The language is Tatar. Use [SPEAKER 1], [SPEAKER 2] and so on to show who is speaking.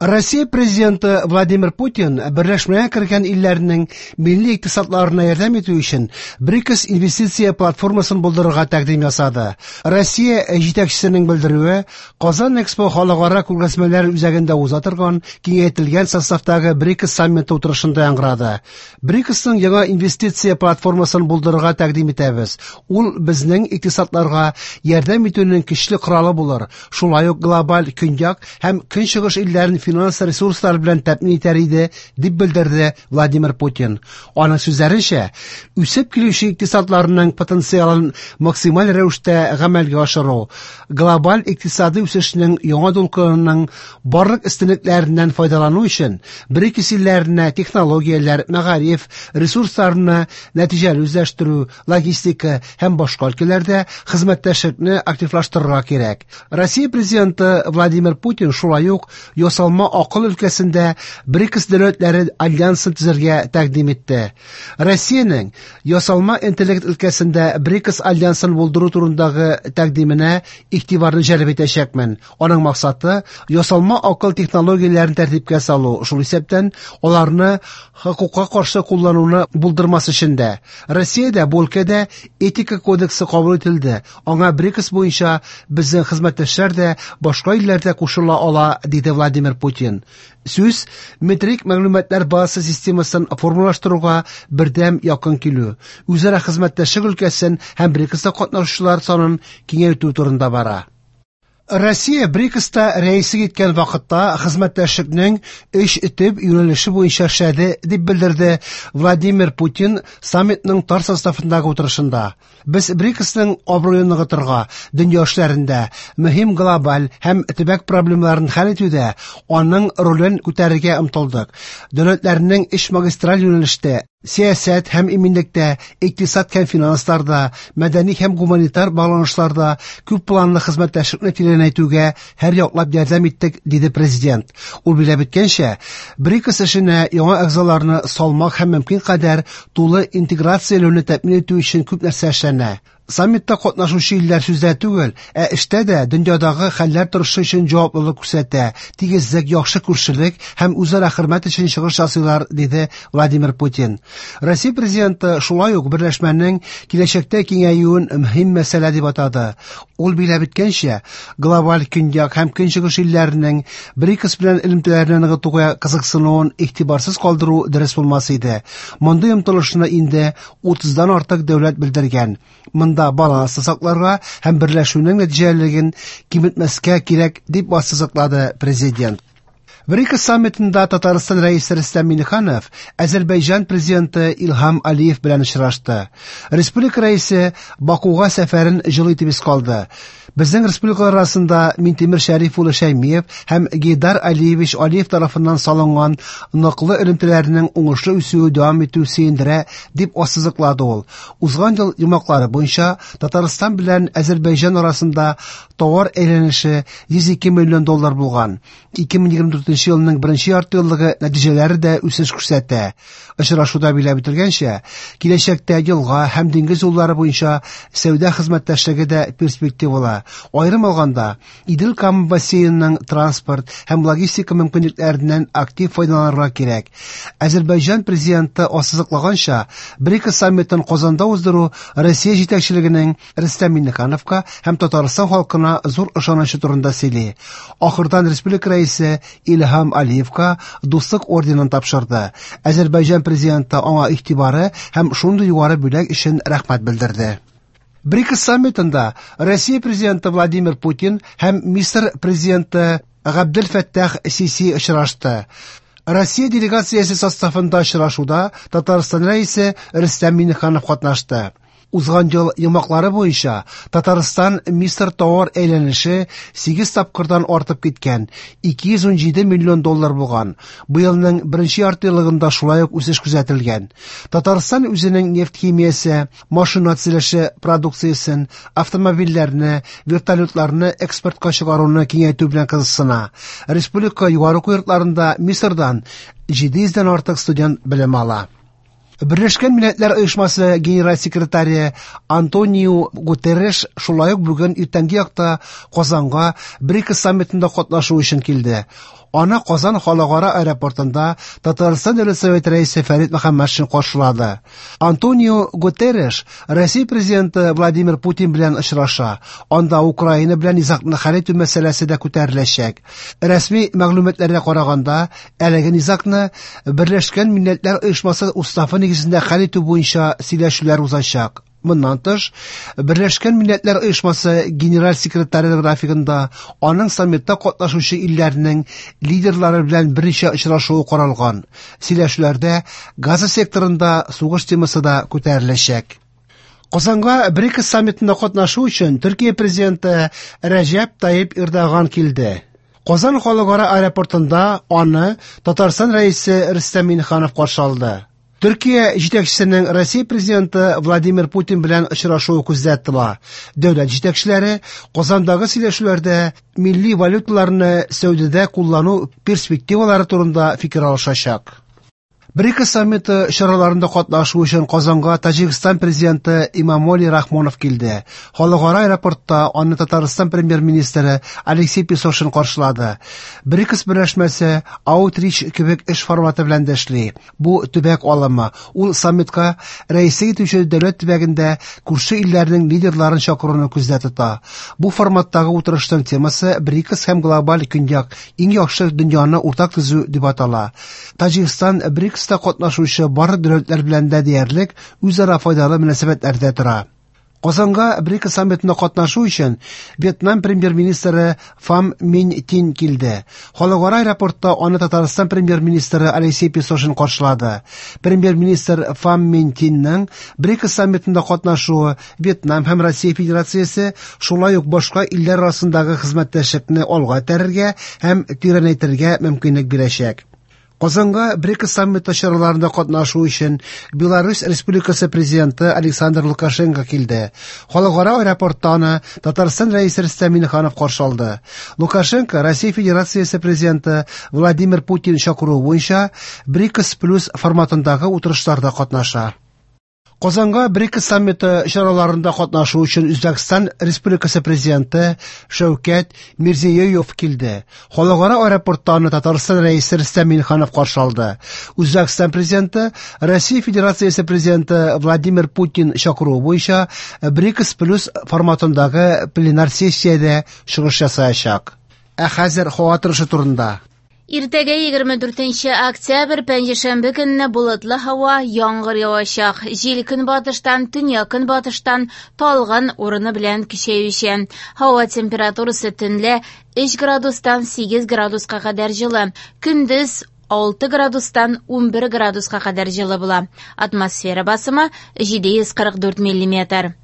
[SPEAKER 1] Россия президенты Владимир Путин берләшмәгә кергән илләрнең милли икътисадларына ярдәм итү өчен БРИКС инвестиция платформасын булдырырга тәкъдим ясады. Россия җитәкчесенең белдерүе Казан Экспо халыкара күргәзмәләр үзәгендә уза торган киңәйтелгән составтагы БРИКС саммиты утырышында яңгырады. БРИКСның яңа инвестиция платформасын булдырырга тәкъдим итәбез. Ул безнең икътисадларга ярдәм итүнең көчле коралы булыр. Шулай ук глобаль көньяк һәм көнчыгыш илләрен финанс ресурслары белән тәэмин итәр иде, дип белдерде Владимир Путин. Аның сүзләренчә, үсеп килүче икътисадларның потенциалын максималь рәвештә гамәлгә ашыру, глобаль икътисади үсешнең яңа дулкынының барлык өстенлекләреннән файдалану өчен БРИКС илләренә технологияләр, мәгариф, ресурсларны нәтиҗәле үзләштерү, логистика һәм башка өлкәләрдә хезмәттәшлекне активлаштырырга кирәк. Россия президенты Владимир Путин шулай ук ясалма акыл өлкәсендә БРИКС дәүләтләре альянсын төзергә тәкъдим итте. Россиянең ясалма интеллект өлкәсендә БРИКС альянсын булдыру турындагы тәкъдименә игътибарны җәлеп итәчәкмен. Аның максаты ясалма акыл технологияләрен тәртипкә салу, шул исәптән аларны хокукка каршы куллануны булдырмас өчен дә. Россиядә бу өлкәдә этика кодексы кабул ителде. Аңа БРИКС буенча безнең хезмәттәшләр дә башка илләр дә кушыла ала, диде Владимир Путин. Сүз метрик мәгълүматлар базасы системасын формалаштыруга бердәм якын килү, үзара хезмәттәшлек өлкәсен һәм БРИКСта катнашучылар санын киңәйтү турында бара. Россия БРИКСта рәислек иткән вакытта хезмәттәшлекнең өч төп юнәлеше буенча эшләде, дип белдерде Владимир Путин саммитның тар составындагы утырышында. Без БРИКСның абруен ныгытырга, дөнья эшләрендә мөһим глобаль һәм төбәк проблемаларын хәл итүдә аның ролен күтәрергә омтылдык. Дәүләтләрнең өч магистраль юнәлештә сәясәт һәм иминлектә, икътисад һәм финансларда, мәдәни һәм гуманитар багланышларда күп планлы хезмәттәшлекне тирәнәйтүгә һәр яклап ярдәм иттек, диде президент. Ул билгеләп үткәнчә, БРИКС эшенә яңа әгъзаларны салмак һәм мөмкин кадәр тулы интеграцияләүне тәэмин итү өчен күп нәрсә эшләнә. Саммитта катнашучы илләр сүздә түгел, ә эштә дә дөньядагы хәлләр торышы өчен җаваплылык күрсәтә, тигезлек, яхшы күршелек һәм үзара хөрмәт өчен чыгыш ясыйлар, диде Владимир Путин. Россия президенты шулай ук берләшмәнең киләчәктә киңәюен мөһим мәсьәлә дип атады. Ул билгеләп үткәнчә, глобаль көньяк һәм көнчыгыш илләренең БРИКС белән элемтәләрне ныгытуга кызыксынуын игътибарсыз калдыру дөрес булмас иде. Мондый омтылышны инде 30-дан артык дәүләт белдергән. Монда балансны сакларга һәм берләшүнең нәтиҗәлелеген киметмәскә кирәк, дип ассызыклады президент. БРИКС саммитында Татарстан рәисе Рөстәм Миңнеханов Азәрбайҗан президенты Илһам Алиев белән очрашты. Республика рәисе Бакуга сәфәрен җылы итеп искә алды. Безнең республикалар арасында Минтимер Шәриф улы Шәймиев һәм Гейдар Алиевич Алиев тарафыннан салынган ныклы элемтәләрнең уңышлы үсүе дәвам итү сөендерә, дип ассызыклады ул. Узган ел йомгаклары буенча Татарстан белән Азәрбайҗан арасында товар әйләнеше 102 миллион доллар булган. 2024 елның беренче яртыеллыгы нәтиҗәләре дә үсеш күрсәтә. Очрашуда билгеләп үтелгәнчә, киләчәктә елга һәм диңгез юллары буенча сәүдә хезмәттәшлеге дә перспективалы. Аерым алганда, Идел-Кама бассейнының транспорт һәм логистика мөмкинлекләреннән актив файдаланырга кирәк. Азәрбайҗан президенты ассызыклаганча, БРИКС саммитын Казанда уздыру Россия җитәкчелегенең Рөстәм Миңнехановка һәм Татарстан халкына зур ышанычы турында сөйли. Ахырдан республика рәисе Илһам Алиевка Дуслык орденын тапшырды. Азәрбайҗан президенты аңа игътибары һәм шундый югары бүләк өчен рәхмәт белдерде. БРИКС саммитында Россия президенты Владимир Путин һәм Мисыр президенты Габдел Фәттах Сиси очрашты. Россия делегациясе составында очрашуда Татарстан рәисе Рөстәм Миңнеханов катнашты. Узган ел йомгаклары буенча Татарстан Мисыр товар әйләнеше 8 тапкырдан артып киткән, 217 миллион доллар булган. Быелның беренче яртыеллыгында шулай ук үсеш күзәтелгән. Татарстан үзенең нефть химиясе, машина төзелеше продукциясен, автомобильләрне, вертолетларны экспортка чыгаруны киңәйтү белән кызыксына. Республика югары уку йортларында Мисырдан 700 дән артык студент белем ала. Берләшкән Милләтләр Оешмасы генераль секретаре Антонио Гутерреш шулай ук бүген иртәнге якта Казанга БРИКС саммитында катнашу өчен килде. Аны Казан халыкара аэропортында Татарстан Дәүләт Советы рәисе Фәрит Мөхәммәтшин каршылады. Антонио Гутерреш Россия президенты Владимир Путин белән очраша. Анда Украина белән низагны хәл итү мәсьәләсе дә күтәреләчәк. Рәсми мәгълүматларга караганда, әлеге низагны Берләшкән Милләтләр Оешмасы уставы нигезендә хәл итү буенча сөйләшүләр узачак. Моннан тыш, Берләшкән Милләтләр Оешмасы генераль секретаре графигында аның саммитта катнашучы илләрнең лидерлары белән берничә очрашуы каралган. Сөйләшүләрдә Газа секторында сугыш темасы да күтәреләчәк. Казанга БРИКС саммитында катнашу өчен Төркия президенты Рәҗәп Тайип Эрдоган килде. Казан халыкара аэропортында аны Татарстан рәисе Рөстәм Миңнеханов каршы алды. Төркия җитәкчесенең Россия президенты Владимир Путин белән очрашуы күздә тотыла. Дәүләт җитәкчеләре Казандагы сөйләшүләрдә милли валюталарны сәүдәдә куллану перспективалары турында фикер алышачак. БРИКС саммиты чараларында катнашу өчен Казанга Таҗикстан президенты Имамоли Рахмонов килде. Халыкара аэропортта аны Татарстан премьер-министры Алексей Песошин каршылады. БРИКС берләшмәсе Аутрич кебек эш форматы белән дә эшли. Бу төбәк алымы. Ул саммитка рәислек итүче дәүләт төбәгендә күрше илләрнең лидерларын чакыруны күздә тота. Бу форматтагы утырышның темасы БРИКС һәм глобаль көньяк иң яхшы дөньяны уртак төзү дип атала. Таҗикстан БРИКСта катнашучы барлык дәүләтләр белән дә диярлек үзара файдалы мөнәсәбәтләрдә тора. Казанга БРИКС саммитында катнашу өчен Вьетнам премьер-министры Фам Мин Тин килде. Халыкара аэропортта аны Татарстан премьер-министры Алексей Песошин каршылады. Премьер-министр Фам Мин Тинның БРИКС саммитында катнашуы Вьетнам һәм Россия Федерациясе, шулай ук башка илләр арасындагы хезмәттәшлекне алга этәрергә һәм тирәнәйтергә мөмкинлек бирәчәк. Казанга БРИКС саммиты чараларында катнашу өчен Беларусь Республикасы президенты Александр Лукашенко килде. Халыкара аэропортта аны Татарстан рәисе Рөстәм Миңнеханов каршы алды. Лукашенко Россия Федерациясе президенты Владимир Путин чакыруы буенча БРИКС плюс форматындагы утырышларда катнаша. Казанга БРИКС саммиты чараларында катнашу өчен Үзбәкстан Республикасы президенты Шәүкәт Мирзиёев килде. Халыкара аэропортта аны Татарстан рәисе Рөстәм Миңнеханов каршы алды. Үзбәкстан президенты Россия Федерациясе президенты Владимир Путин чакыруы буенча БРИКС плюс форматындагы пленар сессиядә чыгыш ясаячак. Ә хәзер һава торышы турында.
[SPEAKER 2] Иртәгә 24 октябрь пәнҗешәмбе көнне болытлы һава, яңгыр явачак. Җил көнбатыштан, төньяк көнбатыштан талгын урыны белән көчәючән. Һава температурасы төнлә 3 градустан 8 градуска кадәр җылы. Көндез 6 градустан 11 градуска кадәр җылы була. Атмосфера басымы 744 миллиметр.